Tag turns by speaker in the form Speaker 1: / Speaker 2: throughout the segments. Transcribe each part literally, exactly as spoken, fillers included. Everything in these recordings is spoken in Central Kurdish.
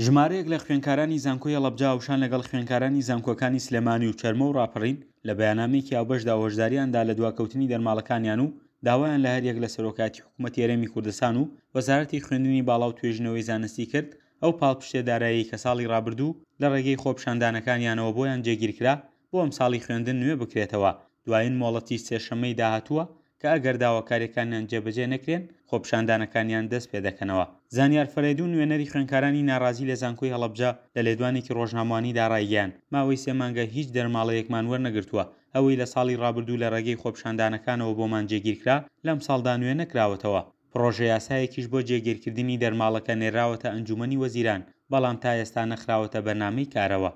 Speaker 1: ژمارەیەک لە خوێندکارانی زانکۆی هەڵەبجە هاوشان لەگەڵ خوێندکارانی زانکۆکانی سلێمانی و چەرمۆ و ڕاپەڕین لە بەیاننامەیەکی هاوبەشدا هۆشداریان دا لە دواکەوتنی دەرماڵەکانیان و داوایان لە هەریەک لە سەرۆکایەتی حکوومەتی هەرێمی کوردستان و وەزارەتی خوێندنی باڵا و توێژینەوەی زانستی کرد ئەو پاڵپشتیە داراییەی کە ساڵی ڕابردوو لە ڕێگەی خۆپیشاندانەکانیانەوە بۆیان جێگیرکرا بۆ ئەمساڵی خوێندن نوێ بکرێتەوە. دوایین مۆڵەتیش سێشەممەی داهاتووە کە ئەگەر داواکاریەکانیان جێبەجێ نەکرێن خۆپیشاندانەکانیان دەست پێدەکەنەوە. زانیار فەرەیدون نوێنەری خوێندکارانی ناڕازی لە زانکۆی هەڵەبجە لە لێدوانێکی ڕۆژنامەوانیدا ڕایگەیاند ماوەی سێ مانگە هیچ دەرماڵەیەکمان وەرنەگرتووە، ئەوەی لە ساڵی ڕابردوو لە ڕێگەی خۆپیشاندانەکانەوە بۆمان جێگیرکرا لەمساڵدا نوێ نەکراوەتەوە. پڕۆژە یاسایەکیش بۆ جێگیرکردنی دەرماڵەکە نێرراوەتە ئەنجومەنی وەزیران، بەڵام تا ئێستا نەخراوەتە بەرنامەی کارەوە.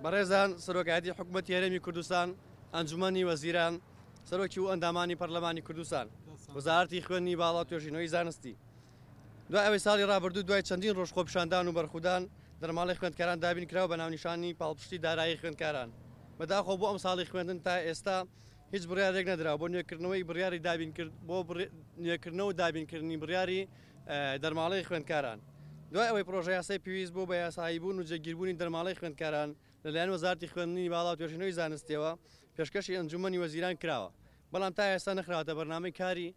Speaker 2: بەڕێزان سەرۆکایەتی حکومەتی هەرێمی کوردستان، ئەنجومەنی وەزیران، سەرۆکی و ئەندامانی پەرلەمانی کوردستان، وەزارەتی خوێندنی باڵا و توێژینەوەی زانستی، دوای ئەوەی ساڵی ڕابردوو دوای چەندین ڕۆژ خۆپیشاندان و بەرخودان دەرماڵەی خوێندکاران دابین کرا و بە ناونیشانی پاڵپشتی دارایی خوێندکاران، بەداخەوە بۆ ئەمساڵی خوێندن تا ئێستا هیچ بڕیارێک نەدراوە بۆ نوێکردنەوەی بڕیاری دابینکرد بۆ نوێکردنەوە و دابینکردنی بڕیاری دەرماڵەی خوێندکاران. دوای ئەوەی پڕۆژەیاسای پێویست بۆ بە یاساییبوون و جێگیربوونی دەرماڵەی خوێندکاران لەلایەن وەزارەتی خوێندنی باڵا و توێژینەوەی زانستییەوە پێشکەشی ئەنجوومەنی وەزیران کراوە، بەڵام تا ئێستا نەخراوەتە بەرنامەی کاری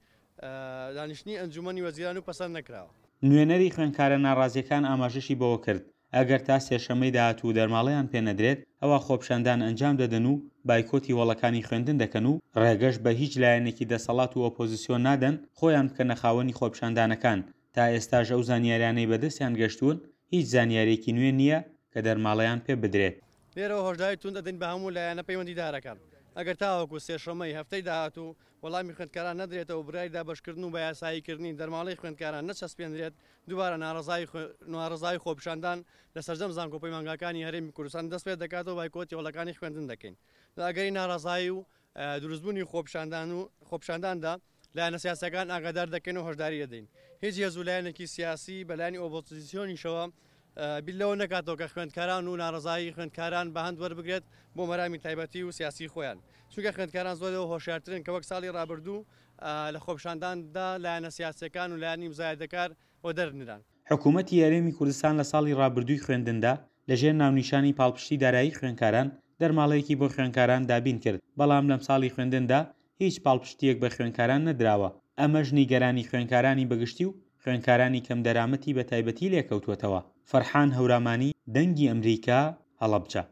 Speaker 2: دانیشتنی ئەنجوومەنی وەزیران و پەسەند نەکراوە.
Speaker 1: نوێنەری خوێندکارە ناڕازییەکان ئاماژەشی بەوە کرد، ئەگەر تا سێشەممەی داهاتوو دەرماڵەیان پێ نەدرێت، ئەوا خۆپیشاندان ئەنجام دەدەن و بایکۆتی هۆڵەکانی خوێندن دەکەن و ڕێگەش بە هیچ لایەنێکی دەسەڵات و ئۆپۆزسیۆن نادەن خۆیان بکەنە خاوەنی خۆپیشاندانەکان، تا ئێستاش ئەو زانیاریانەی بەدەستیان گەشتوون هیچ زانیارییەکی نوێ نییە کە دەرماڵەیان پێ بدرێت.
Speaker 2: لێرەوە هۆشداری توند ئەدەین بە هەموو لایەنە پەیوەندیدارەکان، ئەگەر تاوەکو سێشەممەی هەفتەی داهاتوو وەڵامی خوێندکاران نەدرێتەوە و بڕیاری دابەشکردن و بەیاساییکردنی دەرماڵەی خوێندکاران نەچەسپێنرێت، دووبارە ناڕەزایی خۆپیشاندان لە سەرجەم زانکۆ و پەیمانگاکانی هەرێمی کوردستان دەستپێدەکاتەوە و بایکۆتی هۆڵەکانی خوێندن دەکەین. لە ئەگەری ناڕەزایی و دروستبوونی خۆپیشاندان و خۆپیشانداندا لایەنە سیاسیەکان ئاگادار دەکەین و هۆشداری دەدەین هیچ هێز و لایەنێکی سیاسی بە لایەنی ئۆپۆزیسیۆنیشەوە بیر لەوە نەکاتەوە کە خوێندکاران و ناڕەزایی خوێندکاران بە هەند وەربگرێت بۆ مەرامی تایبەتی و سیاسی خۆیان چونکە خوێندکاران زۆر لەوە هۆشیارترن کە وەک ساڵی ڕابردوو لە خۆپیشانداندا لایەنە سیاسیەکان و لایەنی مزایدەکار وەدەرنران.
Speaker 1: حکومەتی هەرێمی کوردستان لە ساڵی ڕابردووی خوێندندا لەژێر ناونیشانی پاڵپشتی دارایی خوێندکاران دەرماڵەیەکی بۆ خوێندکاران دابین کرد، بەڵام لەمساڵی خوێندندا هیچ پاڵپشتییەک بە خوێندکاران نەدراوە، ئەمەش نیگەرانی خوێندکارانی بەگشتی و خوێندکارانی کەمدەرامەتی بەتایبەتی لێکەوتووەتەوە. فەرحان هەورامانی، دەنگی ئەمریکا، هەڵەبجە.